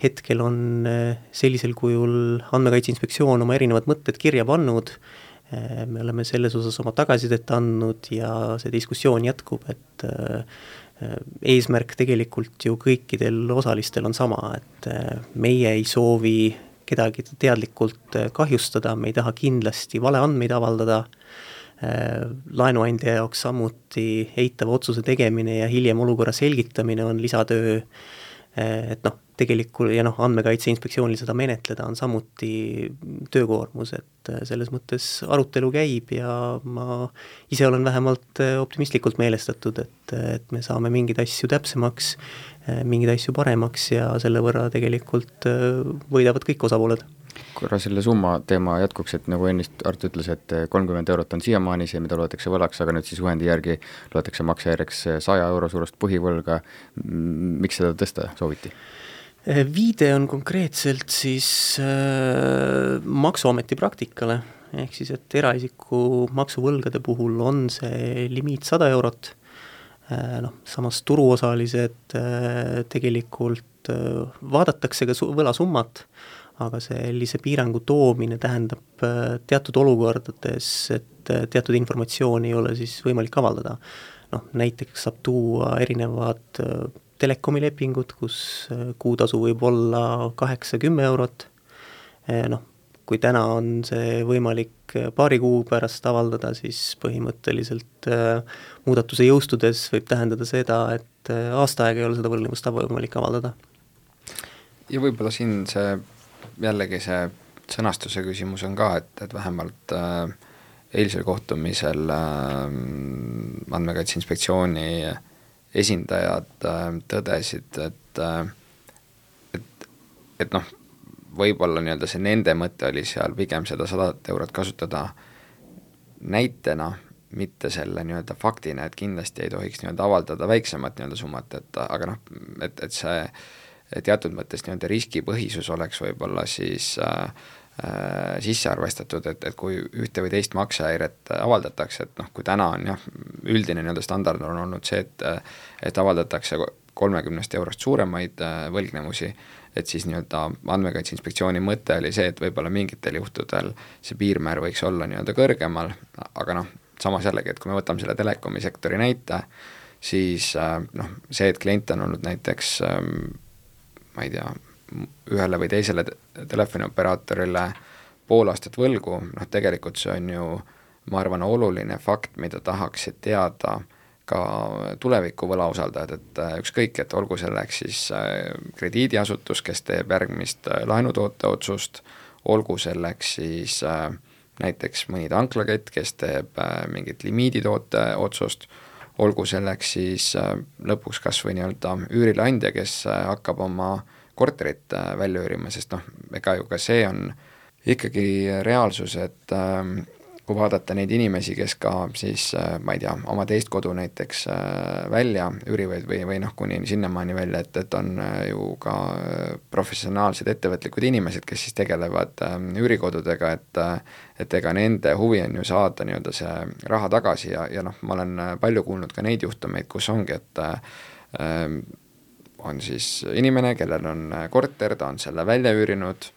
hetkel on sellisel kujul Andmekaitse Inspektsioon oma erinevad mõtted kirja pannud, me oleme selles osas oma tagasisidet andnud ja see diskussioon jätkub, et eesmärk tegelikult ju kõikidel osalistel on sama, et meie ei soovi kedagi teadlikult kahjustada, me ei taha kindlasti valeandmeid avaldada, laenuandja jaoks samuti eitava otsuse tegemine ja hiljem olukorra selgitamine on lisatöö, et tegelikult ja Andmekaitse Inspektsioonil seda menetleda on samuti töökoormus, et selles mõttes arutelu käib ja ma ise olen vähemalt optimistlikult meelestatud, et me saame mingeid asju täpsemaks, mingeid asju paremaks ja selle võrra tegelikult võidavad kõik osapooled. Korra selle summa teema jätkuks, et nagu ennist Arto ütles, et 30 eurot on siiamaani see, mida loetakse võlaks, aga nüüd siis juhendi järgi loetakse maksehäireks 100 euro suurust põhivõlga. Miks seda tõsta sooviti? Viide on konkreetselt siis maksuameti praktikale, ehk siis, et eraisiku maksuvõlgade puhul on see limiit 100 eurot, samas turuosalised tegelikult vaadatakse ka võlasummat, aga sellise piirangu toomine tähendab teatud olukordades, et teatud informatsiooni ei ole siis võimalik avaldada. Näiteks saab tuua erinevad telekomilepingud, kus kuutasu võib olla 8-10 eurot. Kui täna on see võimalik paari kuu pärast avaldada, siis põhimõtteliselt muudatuse jõustudes võib tähendada seda, et aasta aega ei ole seda võlgnevust võimalik avaldada. Ja võib-olla siin jällegi see sõnastuse küsimus on ka, et vähemalt eilsel kohtumisel Andmekaitse Inspektsiooni esindajad tõdesid, et noh, võib-olla nii-öelda see nende mõte oli seal pigem seda 100 eurot kasutada näitena, mitte selle nii-öelda faktina, et kindlasti ei tohiks nii-öelda avaldada väiksemat nii-öelda summat, et aga noh, et see teatud mõttes nii-öelda riskipõhisus oleks võib-olla siis sisse arvestatud, et kui ühte või teist maksehäiret avaldatakse, et noh, kui täna on jah, üldine nii-öelda standard on olnud see, et avaldatakse 30 eurost suuremaid võlgnevusi, et siis nii-öelda Andmekaitse Inspektsiooni mõte oli see, et võib-olla mingitel juhtudel see piirmäär võiks olla nii-öelda kõrgemal, aga noh, samas jällegi, et kui me võtame selle telekomi sektori näite, siis noh, see, et klient on olnud näiteks ma ei tea, ühele või teisele telefonioperaatorile pool aastat võlgu, noh tegelikult see on ju, ma arvan, oluline fakt, mida tahaksid teada ka tuleviku võlausaldajad, et ükskõik, et olgu selleks siis krediidiasutus, kes teeb järgmist laenutoote otsust, olgu selleks siis näiteks mõni tanklakett, kes teeb mingit limiiditoote otsust, olgu selleks siis lõpuks kas või nii-öelda üürileandja, kes hakkab oma korterit välja üürima, sest noh, ega ju ka see on ikkagi reaalsus, et kui vaadata neid inimesi, kes ka siis, ma ei tea, oma teist kodu näiteks välja üürivad või noh, kuni sinnamaani välja, et on ju ka professionaalsed ettevõtlikud inimesed, kes siis tegelevad üürikodudega, et ega nende huvi on ju saada nii-öelda see raha tagasi ja noh, ma olen palju kuulnud ka neid juhtumeid, kus ongi, et on siis inimene, kellel on korter, ta on selle välja üürinud,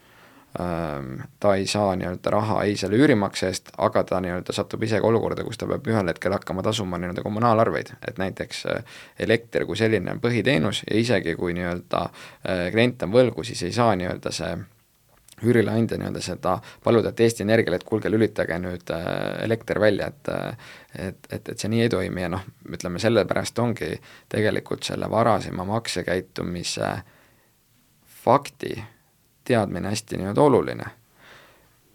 ta ei saa nii-öelda raha ei selle üürimakse eest, aga ta nii-öelda satub isegi olukorda, kus ta peab ühel hetkel hakkama tasuma nii-öelda kommunaalarveid, et näiteks elekter kui selline on põhiteenus ja isegi kui nii-öelda klient on võlgu, siis ei saa nii-öelda see üürileandja nii-öelda seda paluda, et Eesti Energiale, et kuulge, lülitage nüüd elekter välja, et see nii ei toimi ja noh, ütleme sellepärast ongi tegelikult selle varasema maksekäitumise fakti teadmine hästi nii-öelda oluline.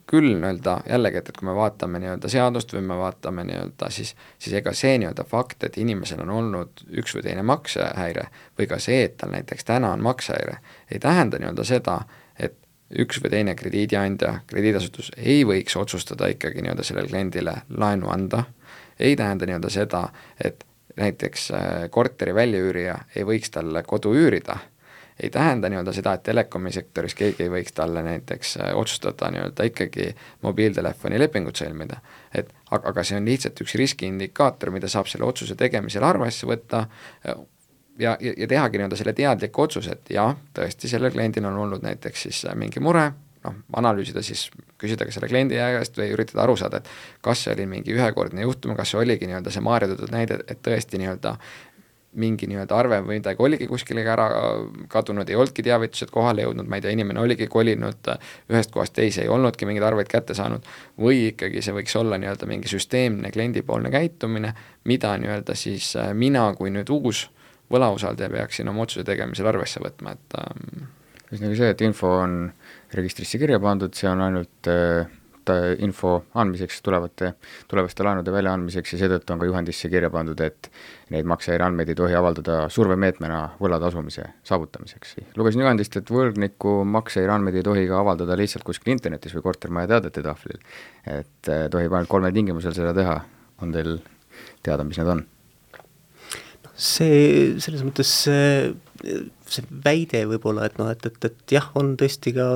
Küll nii-öelda jällegi, et kui me vaatame nii-öelda seadust või me vaatame nii-öelda siis ega see nii-öelda fakt, et inimesel on olnud üks või teine maksehäire või ka see, et tal näiteks täna on maksehäire, ei tähenda nii-öelda seda, et üks või teine krediidiandja, krediidasutus ei võiks otsustada ikkagi nii-öelda sellele kliendile laenu anda, ei tähenda nii-öelda seda, et näiteks korteri väljaüürija ei võiks talle kodu üürida, ei tähenda nii-öelda seda, et telekomi sektoris keegi ei võiks talle näiteks otsustada nii-öelda ikkagi mobiiltelefoni lepingut sõlmida. Aga see on lihtsalt üks riskiindikaator, mida saab selle otsuse tegemisel arvesse võtta ja tehagi nii-öelda selle teadliku otsuse, et jah, tõesti sellel kliendil on olnud näiteks siis mingi mure, noh, analüüsida siis, küsida ka selle kliendi käest või üritada aru saada, et kas see oli mingi ühekordne juhtum, kas see oligi nii-öelda see Maarja toodud näide, et tõesti nii-öelda mingi nii-öelda arve või midagi oligi kuskile ära kadunud, ei olnudki teavitused kohale jõudnud, ma ei tea, inimene oligi kolinud ühest kohast teise, ei olnudki mingeid arveid kätte saanud, või ikkagi see võiks olla nii-öelda mingi süsteemne kliendipoolne käitumine, mida nii-öelda siis mina kui nüüd uus võlausaldaja peaksin oma otsuse tegemisel arvesse võtma, et ühesõnaga see, et info on registrisse kirja pandud, see on ainult info andmiseks tulevaste laenude väljaandmiseks ja seetõttu on ka juhendisse kirja pandud, et neid maksehäire andmeid ei tohi avaldada survemeetmena võla tasumise saavutamiseks. Lugesin juhendist, et võlgniku maksehäire andmeid ei tohi ka avaldada lihtsalt kuskil internetis või kortermaja teadete tahvlil, et tohib ainult 3 tingimusel seda teha. On teil teada, mis need on? See selles mõttes see väide võib-olla, et noh, et jah, on tõesti ka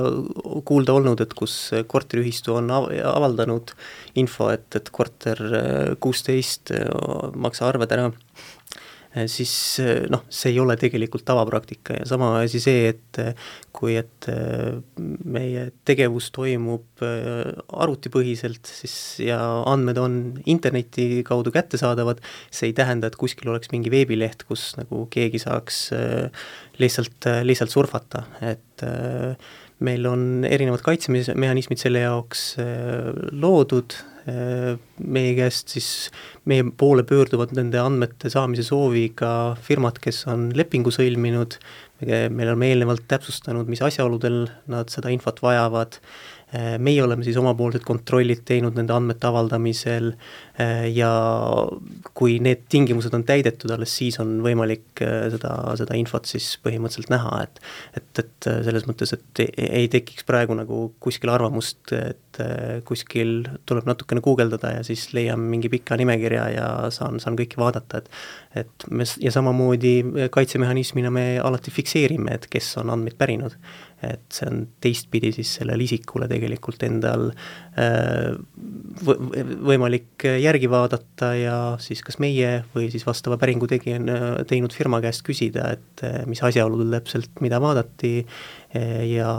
kuulda olnud, et kus korteriühistu on avaldanud info, et korter 16 maksa arved ära, siis noh, see ei ole tegelikult tavapraktika ja sama asi see, et kui meie tegevus toimub arvutipõhiselt siis ja andmed on interneti kaudu kättesaadavad, see ei tähenda, et kuskil oleks mingi veebileht, kus nagu keegi saaks lihtsalt surfata, et meil on erinevad kaitsemehhanismid selle jaoks loodud, meie käest siis, meie poole pöörduvad nende andmete saamise sooviga firmad, kes on lepingu sõlminud, meil on eelnevalt täpsustanud, mis asjaoludel nad seda infot vajavad, meie oleme siis omapoolsed kontrollid teinud nende andmete avaldamisel ja kui need tingimused on täidetud, alles siis on võimalik seda infot siis põhimõtteliselt näha, et selles mõttes, et ei tekiks praegu nagu kuskil arvamust, et kuskil tuleb natukene guugeldada ja siis leian mingi pika nimekirja ja saan kõiki vaadata, et ja samamoodi kaitsemehhanismina me alati fikseerime, et kes on andmeid pärinud. Et see on teistpidi siis sellel isikule tegelikult endal võimalik järgi vaadata ja siis kas meie või siis vastava päringu teinud firma käest küsida, et mis asjaoludel täpselt mida vaadati ja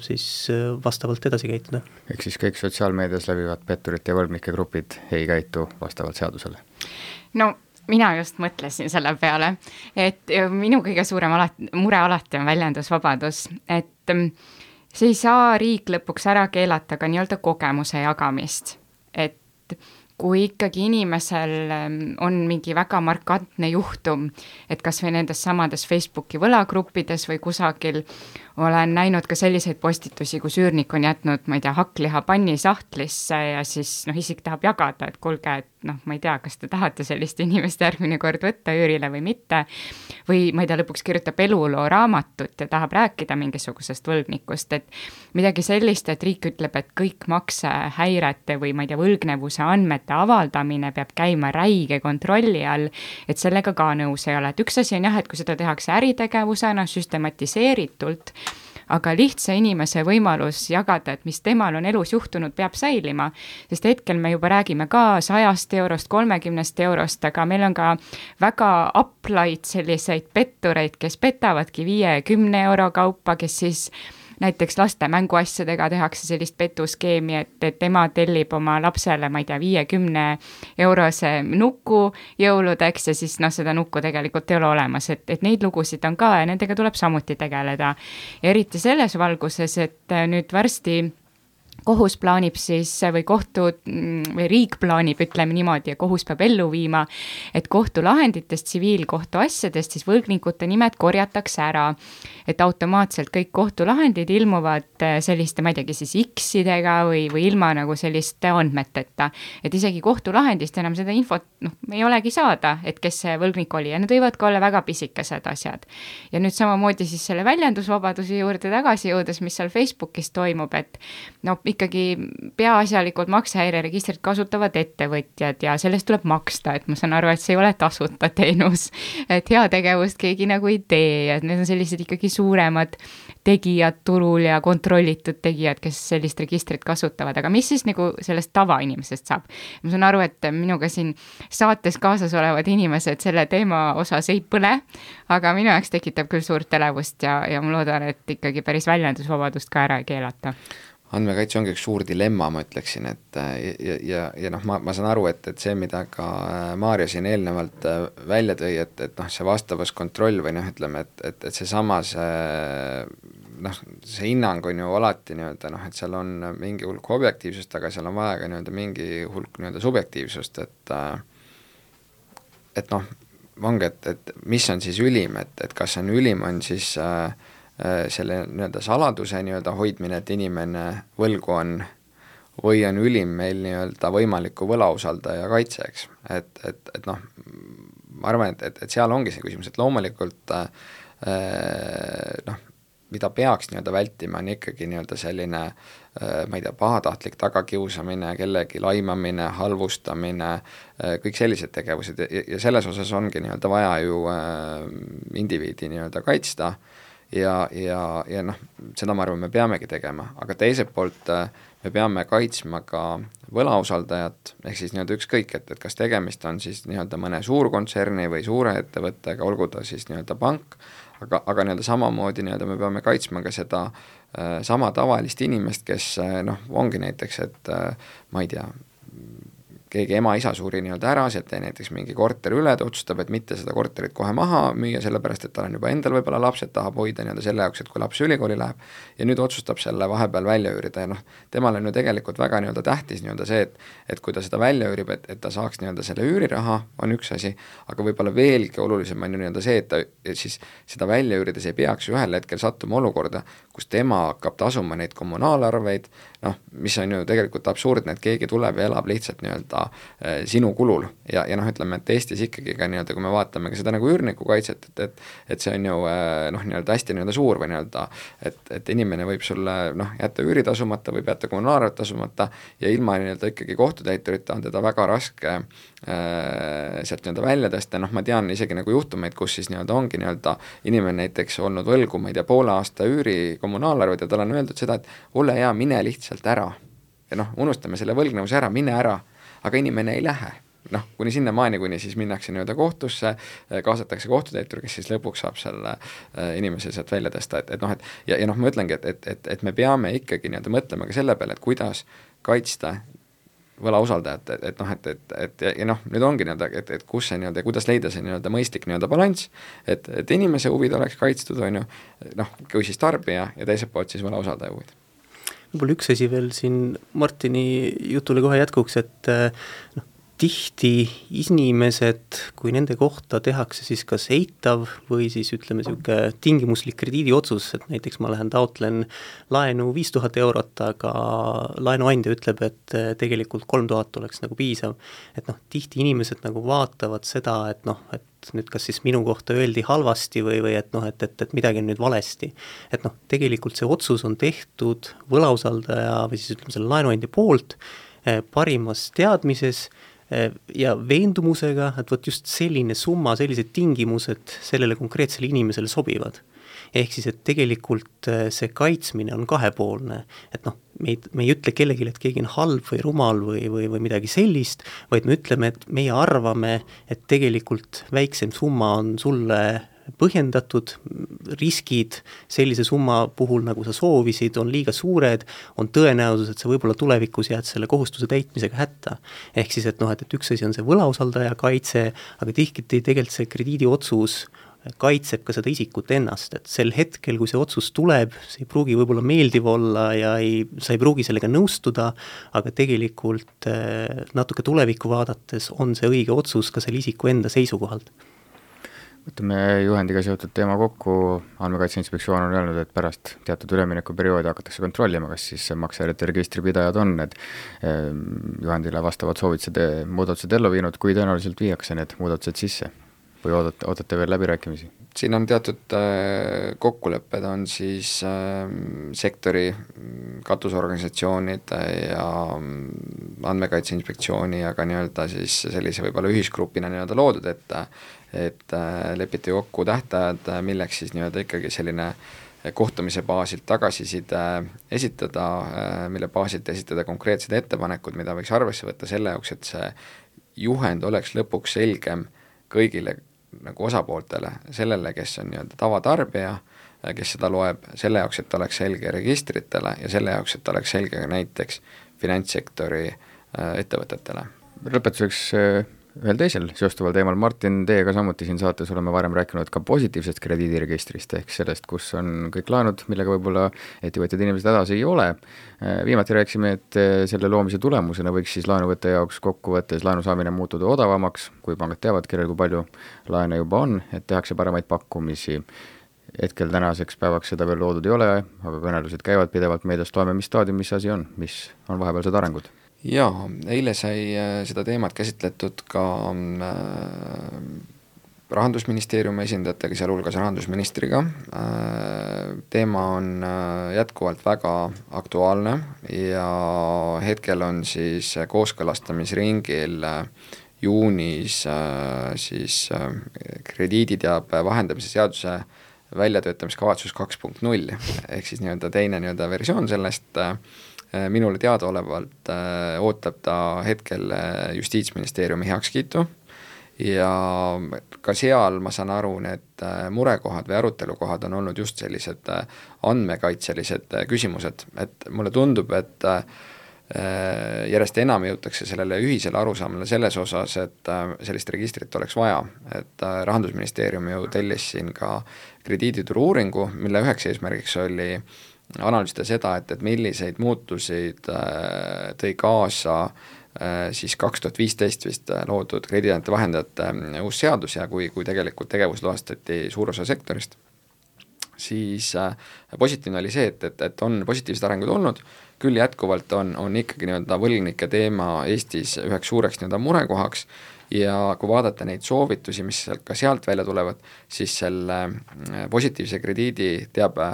siis vastavalt edasi käituda. Ehk siis kõik sotsiaalmeedias läbivad petturite ja võlgnike grupid ei käitu vastavalt seadusele? No mina just mõtlesin selle peale, et minu kõige suurem mure alati on väljendusvabadus, et see ei saa riik lõpuks ära keelata ka nii-öelda kogemuse jagamist, et kui ikkagi inimesel on mingi väga markantne juhtum, et kas või nendes samades Facebooki võlagruppides või kusagil olen näinud ka selliseid postitusi, kus üürnik on jätnud, ma ei tea, hakkliha panni sahtlisse ja siis isik tahab jagada, et kuulge, et ma ei tea, kas te tahate sellist inimest järgmine kord võtta üürile või mitte, või ma ei tea, lõpuks kirjutab eluloo raamatut ja tahab rääkida mingisugusest võlgnikust, et midagi sellist, et riik ütleb, et kõik maksehäirete või ma ei tea, võlgnevuse andmete avaldamine peab käima räige kontrolli all, et sellega ka nõus ei ole, et üks asi on jah, et kui seda tehakse äritegevusena süstematiseeritult, aga lihtsa inimese võimalus jagada, et mis temal on elus juhtunud, peab säilima, sest hetkel me juba räägime ka 100 eurost, 30 eurost, aga meil on ka väga aplaid selliseid pettureid, kes petavadki 5-10 euro kaupa, kes siis näiteks laste mänguasjadega tehakse sellist petuskeemi, et ema tellib oma lapsele, ma ei tea, 50 eurose nuku jõuludeks ja siis seda nukku tegelikult ei ole olemas, et neid lugusid on ka ja nendega tuleb samuti tegeleda. Eriti selles valguses, et nüüd varsti kohus plaanib siis või riik plaanib, ütleme niimoodi, ja kohus peab ellu viima, et kohtulahenditest, tsiviilkohtuasjadest siis võlgnikute nimed korjatakse ära, et automaatselt kõik kohtulahendid ilmuvad selliste, ma ei teagi siis X-idega või ilma nagu selliste andmeteta, et isegi kohtulahendist enam seda infot ei olegi saada, et kes see võlgnik oli ja need võivad ka olla väga pisikesed asjad. Ja nüüd samamoodi siis selle väljendusvabaduse juurde tagasi jõudes, mis seal Facebookis toimub, et ikkagi peaasjalikult maksehäireregistrit kasutavad ettevõtjad ja sellest tuleb maksta, et ma saan aru, et see ei ole tasuta teenus, et heategevust keegi nagu ei tee ja need on sellised ikkagi suuremad tegijad turul ja kontrollitud tegijad, kes sellist registrit kasutavad, aga mis siis nagu sellest tavainimesest saab? Ma saan aru, et minuga siin saates kaasas olevad inimesed selle teema osas ei põle, aga minu jaoks tekitab küll suurt elevust ja ma loodan, et ikkagi päris väljendusvabadust ka ära ei keelata. Andmekaitse ongi üks suur dilemma, ma ütleksin, et ja ma saan aru, et see, mida ka Maarja siin eelnevalt välja tõi, et see vastavuskontroll või ütleme, et seesama see hinnang on ju alati et seal on mingi hulk objektiivsust, aga seal on vaja ka mingi hulk subjektiivsust, et ongi, et mis on siis ülim, et kas on ülim, on siis selle saladuse hoidmine, et inimene võlgu on, või on ülim meil võimaliku võlausaldaja kaitse, eks. Et ma arvan, et seal ongi see küsimus, et loomulikult mida peaks vältima, on ikkagi selline ma ei tea, pahatahtlik tagakiusamine, kellegi laimamine, halvustamine, kõik sellised tegevused ja selles osas ongi vaja ju indiviidi kaitsta ja seda ma arvan, me peamegi tegema, aga teiselt poolt me peame kaitsma ka võlausaldajat, ehk siis ükskõik, et kas tegemist on siis mõne suurkontserni või suure ettevõttega, olgu ta siis pank, aga samamoodi me peame kaitsma ka seda sama tavalist inimest, kes ongi näiteks, et ma ei tea, keegi ema-isa suri nii-öelda ära, sealt jäi näiteks mingi korter üle, ta otsustab, et mitte seda korterit kohe maha müüa, sellepärast et tal on juba endal võib-olla lapsed, tahab hoida nii-öelda selle jaoks, et kui laps ülikooli läheb, ja nüüd otsustab selle vahepeal välja üürida ja temal on ju tegelikult väga nii-öelda tähtis nii-öelda see, et kui ta seda välja üürib, et ta saaks nii-öelda selle üüriraha, on üks asi, aga võib-olla veelgi olulisem on ju nii-öelda see, et ta siis seda välja üürides ei peaks ühel hetkel sattuma olukorda, kus tema hakkab tasuma neid kommunaalarveid, mis on ju tegelikult absurdne, et keegi tuleb ja elab lihtsalt nii-öelda sinu kulul ja ütleme, et Eestis ikkagi ka nii-öelda, kui me vaatame ka seda nagu üürniku kaitset, et see on ju nii-öelda hästi nii-öelda suur või nii-öelda, et inimene võib sulle jätta üüri tasumata, võib jätta kommunaalarvet tasumata ja ilma nii-öelda ikkagi kohtutäiturita on teda väga raske sealt nii-öelda välja tõsta, ma tean isegi nagu juhtumeid, kus siis nii-öelda ongi nii-öelda inimene näiteks olnud võlgu, ma ei tea, poole aasta üüri kommunaalarvet ja tal on öeldud seda, et ole hea, mine lihtsalt ära ja unustame selle võlgnevuse ära, mine ära, aga inimene ei lähe. Kuni sinnamaani, kuni siis minnakse nii-öelda kohtusse, kaasatakse kohtutäitur, kes siis lõpuks saab selle inimese sealt välja tõsta, ma ütlengi, et me peame ikkagi nii-öelda mõtlema ka selle peale, et kuidas kaitsta võlausaldajat, nüüd ongi nii-öelda, et kus see nii-öelda, kuidas leida see nii-öelda mõistlik nii-öelda balanss, et inimese huvid oleks kaitstud, on ju, kui siis tarbija ja teiselt poolt siis võlausaldaja huvid. Võib-olla üks asi veel siin Martini jutule kohe jätkuks, et tihti inimesed, kui nende kohta tehakse siis kas eitav või siis ütleme niisugune tingimuslik krediidiotsus, et näiteks ma lähen taotlen laenu 5000 eurot, aga laenuandja ütleb, et tegelikult 3000 oleks nagu piisav. Et tihti inimesed nagu vaatavad seda, et nüüd kas siis minu kohta öeldi halvasti või et midagi on nüüd valesti. Et tegelikult see otsus on tehtud võlausaldaja või siis ütleme selle laenuandja poolt parimas teadmises ja veendumusega, et võt just selline summa, sellised tingimused sellele konkreetsele inimesele sobivad. Ehk siis, et tegelikult see kaitsmine on kahepoolne, et me ei ütle kellelegi, et keegi on halb või rumal või midagi sellist, vaid me ütleme, et meie arvame, et tegelikult väiksem summa on sulle põhjendatud, riskid sellise summa puhul, nagu sa soovisid, on liiga suured, on tõenäosus, et sa võib-olla tulevikus jääd selle kohustuse täitmisega hätta. Ehk siis, et üks asi on see võlausaldaja kaitse, aga tihti tegelikult see krediidiotsus kaitseb ka seda isikut ennast, et sel hetkel, kui see otsus tuleb, see ei pruugi võib-olla meeldiv olla ja sa ei pruugi sellega nõustuda, aga tegelikult natuke tulevikku vaadates on see õige otsus ka selle isiku enda seisukohalt. Võtame juhendiga seotud teema kokku, Andmekaitse Inspektsioon on öelnud, et pärast teatud üleminekuperioodi hakatakse kontrollima, kas siis maksehäirete registripidajad on need juhendile vastavad soovitused, muudatused ellu viinud, kui tõenäoliselt viiakse need muudatused sisse või ootate veel läbirääkimisi? Siin on teatud kokkulepped, on siis sektori katusorganisatsioonid ja Andmekaitse Inspektsiooni, aga nii-öelda siis sellise võib-olla ühisgrupina nii-öelda loodud, et lepiti kokku tähtajad, milleks siis nii-öelda ikkagi selline kohtumise baasilt tagasiside esitada, mille baasilt esitada konkreetsed ettepanekud, mida võiks arvesse võtta selle jaoks, et see juhend oleks lõpuks selgem kõigile nagu osapooltele, sellele, kes on nii-öelda tavatarbija, kes seda loeb, selle jaoks, et oleks selge registritele ja selle jaoks, et oleks selge ka näiteks finantssektori ettevõtetele. Lõpetuseks ühel teisel seostuval teemal, Martin, teiega samuti siin saates oleme varem rääkinud ka positiivsest krediidiregistrist, ehk sellest, kus on kõik laenud, millega võib-olla ettevõtjad inimesed hädas ei ole. Viimati rääkisime, et selle loomise tulemusena võiks siis laenuvõtte jaoks kokkuvõttes laenu saamine muutuda odavamaks, kui pangad teavad, kellel kui palju laene juba on, et tehakse paremaid pakkumisi. Hetkel tänaseks päevaks seda veel loodud ei ole, aga kõnelused käivad pidevalt meediast, loeme, mis staadium, mis asi on, mis on vahepealsed arengud. Jaa, eile sai seda teemat käsitletud ka Rahandusministeeriumi esindajatega, sealhulgas rahandusministriga. Teema on jätkuvalt väga aktuaalne ja hetkel on siis kooskõlastamisringil juunis siis krediiditeabe vahendamise seaduse väljatöötamiskavatsus 2.0 ehk siis nii-öelda teine nii-öelda versioon sellest. Minule teadaolevalt ootab ta hetkel Justiitsministeeriumi heakskiitu ja ka seal ma saan aru, need murekohad või arutelukohad on olnud just sellised andmekaitselised küsimused, et mulle tundub, et järjest enam jõutakse sellele ühisele arusaamale selles osas, et sellist registrit oleks vaja, et Rahandusministeerium ju tellis siin ka krediidituru uuringu, mille üheks eesmärgiks oli analüüsida seda, et milliseid muutusid tõi kaasa siis 2015 vist loodud krediidiandjate vahendajate uus seadus ja kui tegelikult tegevusloastati suur osa sektorist, siis positiivne oli see, et on positiivsed arengud olnud, küll jätkuvalt on ikkagi nii-öelda võlgnike teema Eestis üheks suureks nii-öelda murekohaks ja kui vaadata neid soovitusi, mis ka sealt välja tulevad, siis selle positiivse krediidi teabe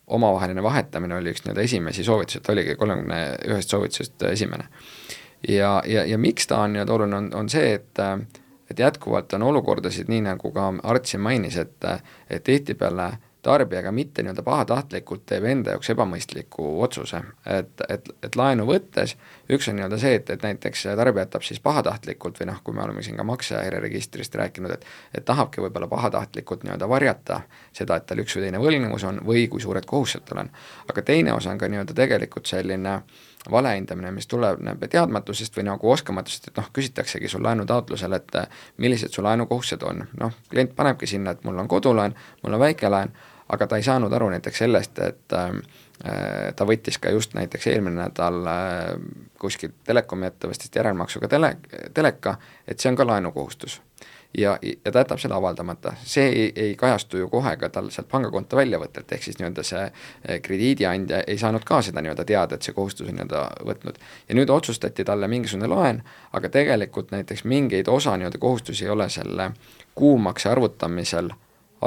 omavaheline vahetamine oli üks nii-öelda esimesi soovitusi, et oligi 31 soovitusest esimene. Ja miks ta on nii-öelda oluline, on see, et jätkuvalt on olukordasid, nii nagu ka Artsi mainis, et tihtipeale tarbijaga mitte nii-öelda pahatahtlikult teeb enda jaoks ebamõistliku otsuse, et laenu võttes üks on nii-öelda see, et näiteks tarbija jätab siis pahatahtlikult või kui me oleme siin ka maksehäireregistrist rääkinud, et tahabki võib-olla pahatahtlikult nii-öelda varjata seda, et tal üks või teine võlgnevus on või kui suured kohustused tal on. Aga teine osa on ka nii-öelda tegelikult selline valehindamine, mis tuleb teadmatusest või nagu oskamatusest, et küsitaksegi sul laenutaotlusel, et millised su laenukohustused on. Klient panebki sinna, et mul on kodulaen, mul on väikelaen, aga ta ei saanud aru näiteks sellest, et ta võttis ka just näiteks eelmine nädal kuskil telekomi ettevõttest järelmaksuga teleka, et see on ka laenukohustus. Ja ta jätab selle avaldamata. See ei kajastu ju kohe ka tal sealt pangakonto väljavõttelt, ehk siis nii-öelda see krediidiandja ei saanud ka seda nii-öelda teada, et see kohustus on nii-öelda võtnud. Ja nüüd otsustati talle mingisugune laen, aga tegelikult näiteks mingeid osa nii-öelda kohustusi ei ole selle kuumakse arvutamisel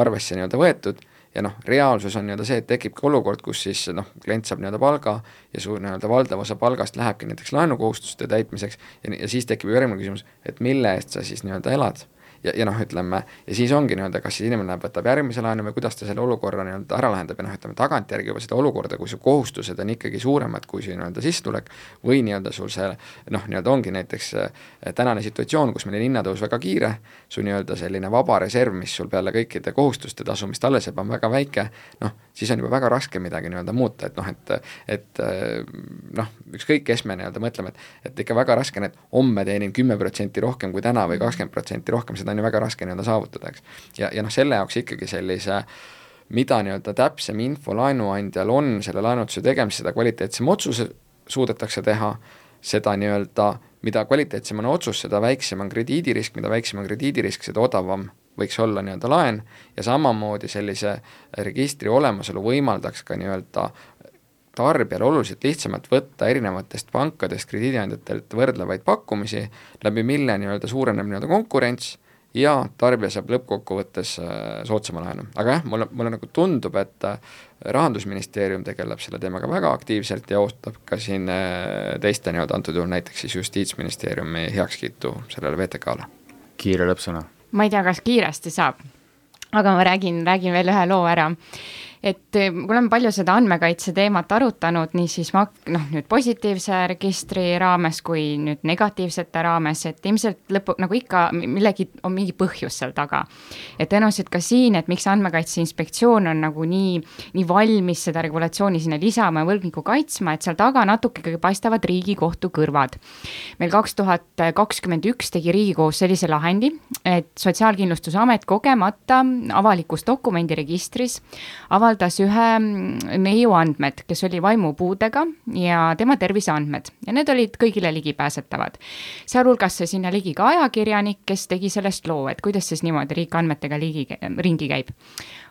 arvesse nii-öelda võetud ja reaalsus on nii-öelda see, et tekibki olukord, kus siis klient saab nii-öelda palga ja su nii-öelda valdav osa palgast lähebki näiteks laenukohustuste täitmiseks ja siis tekib järgmine küsimus, et mille eest sa siis nii-öelda elad. Ja ütleme, ja siis ongi nii-öelda, kas siis inimene võtab järgmise laenu või kuidas ta selle olukorra nii-öelda ära lahendab ja ütleme tagantjärgi juba seda olukorda, kui su kohustused on ikkagi suuremad kui see nii-öelda sissetulek või nii-öelda sul see nii-öelda ongi näiteks tänane situatsioon, kus meil on hinnatõus väga kiire, su nii-öelda selline vaba reserv, mis sul peale kõikide kohustuste tasumist alles jääb, on väga väike, siis on juba väga raske midagi nii-öelda muuta, et ükskõik kes me nii-öelda mõtleme, et ikka väga raske, et homme teenin 10% rohkem kui täna või 20% rohkem, seda on ju väga raske nii-öelda saavutada, eks. Ja selle jaoks ikkagi sellise, mida nii-öelda täpsem info laenuandjal on selle laenutuse tegemise, seda kvaliteetsem otsuse suudetakse teha, seda nii-öelda, mida kvaliteetsem on otsus, seda väiksem on krediidirisk, mida väiksem on krediidirisk, seda odavam võiks olla nii-öelda laen ja samamoodi sellise registri olemasolu võimaldaks ka nii-öelda tarbijal oluliselt lihtsamalt võtta erinevatest pankadest, krediidiandjatelt võrdlevaid pakkumisi, läbi mille nii-öelda suureneb nii-öelda konkurents ja tarbija saab lõppkokkuvõttes soodsama laenu. Aga jah, mulle nagu tundub, et Rahandusministeerium tegeleb selle teemaga väga aktiivselt ja ootab ka siin teiste nii-öelda antud juhul näiteks siis Justiitsministeeriumi heakskiitu sellele VTK-le. Kiire lõppsõna. Ma ei tea, kas kiiresti saab, aga ma räägin veel ühe loo ära. Et kui oleme palju seda andmekaitse teemat arutanud, nii siis nüüd positiivse registri raames kui nüüd negatiivsete raames, et ilmselt nagu ikka millegi on mingi põhjus seal taga. Et tõenäoliselt ka siin, et miks Andmekaitse Inspektsioon on nagu nii valmis seda regulatsiooni sinna lisama ja võlgniku kaitsma, et seal taga natuke paistavad Riigikohtu kõrvad. Meil 2021 tegi Riigikohus sellise lahendi, et Sotsiaalkindlustusamet kogemata avalikus dokumendiregistris avaldas ühe neiu andmed, kes oli vaimupuudega ja tema terviseandmed ja need olid kõigile ligipääsetavad. Sealhulgas sinna ligi ka ajakirjanik, kes tegi sellest loo, et kuidas siis niimoodi riik andmetega ringi käib.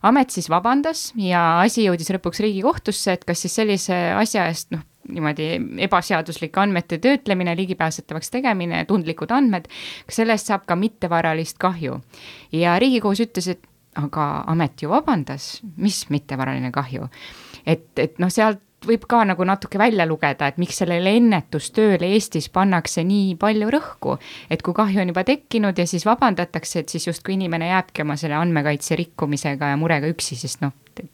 Amet siis vabandas ja asi jõudis lõpuks Riigikohtusse, et kas siis sellise asja eest niimoodi ebaseaduslik andmete töötlemine, ligipääsetavaks tegemine, tundlikud andmed, kas sellest saab ka mittevaralist kahju. Ja Riigikohus ütles, et aga amet ju vabandas, mis mittevaraline kahju. Et sealt võib ka nagu natuke välja lugeda, et miks sellele ennetustööle Eestis pannakse nii palju rõhku, et kui kahju on juba tekkinud ja siis vabandatakse, et siis justkui inimene jääbki oma selle andmekaitse rikkumisega ja murega üksi, sest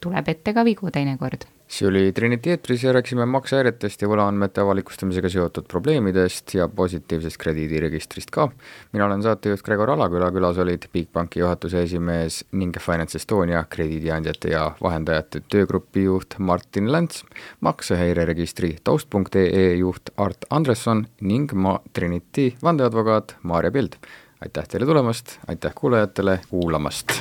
tuleb ette ka vigu teinekord. see oli Trinity eetris ja rääkisime maksehäiretest ja võlaandmete avalikustamisega seotud probleemidest ja positiivsest krediidiregistrist ka. Mina olen saatejuht Gregor Alaküla, külas olid Bigbanki juhatuse esimees ning Finance Estonia krediidiandjate ja vahendajate töögrupi juht Martin Länts, maksehäireregistri taust.ee juht Art Andresson ning Trinity vandeadvokaat Maarja Pild. Aitäh teile tulemast, aitäh kuulajatele kuulamast!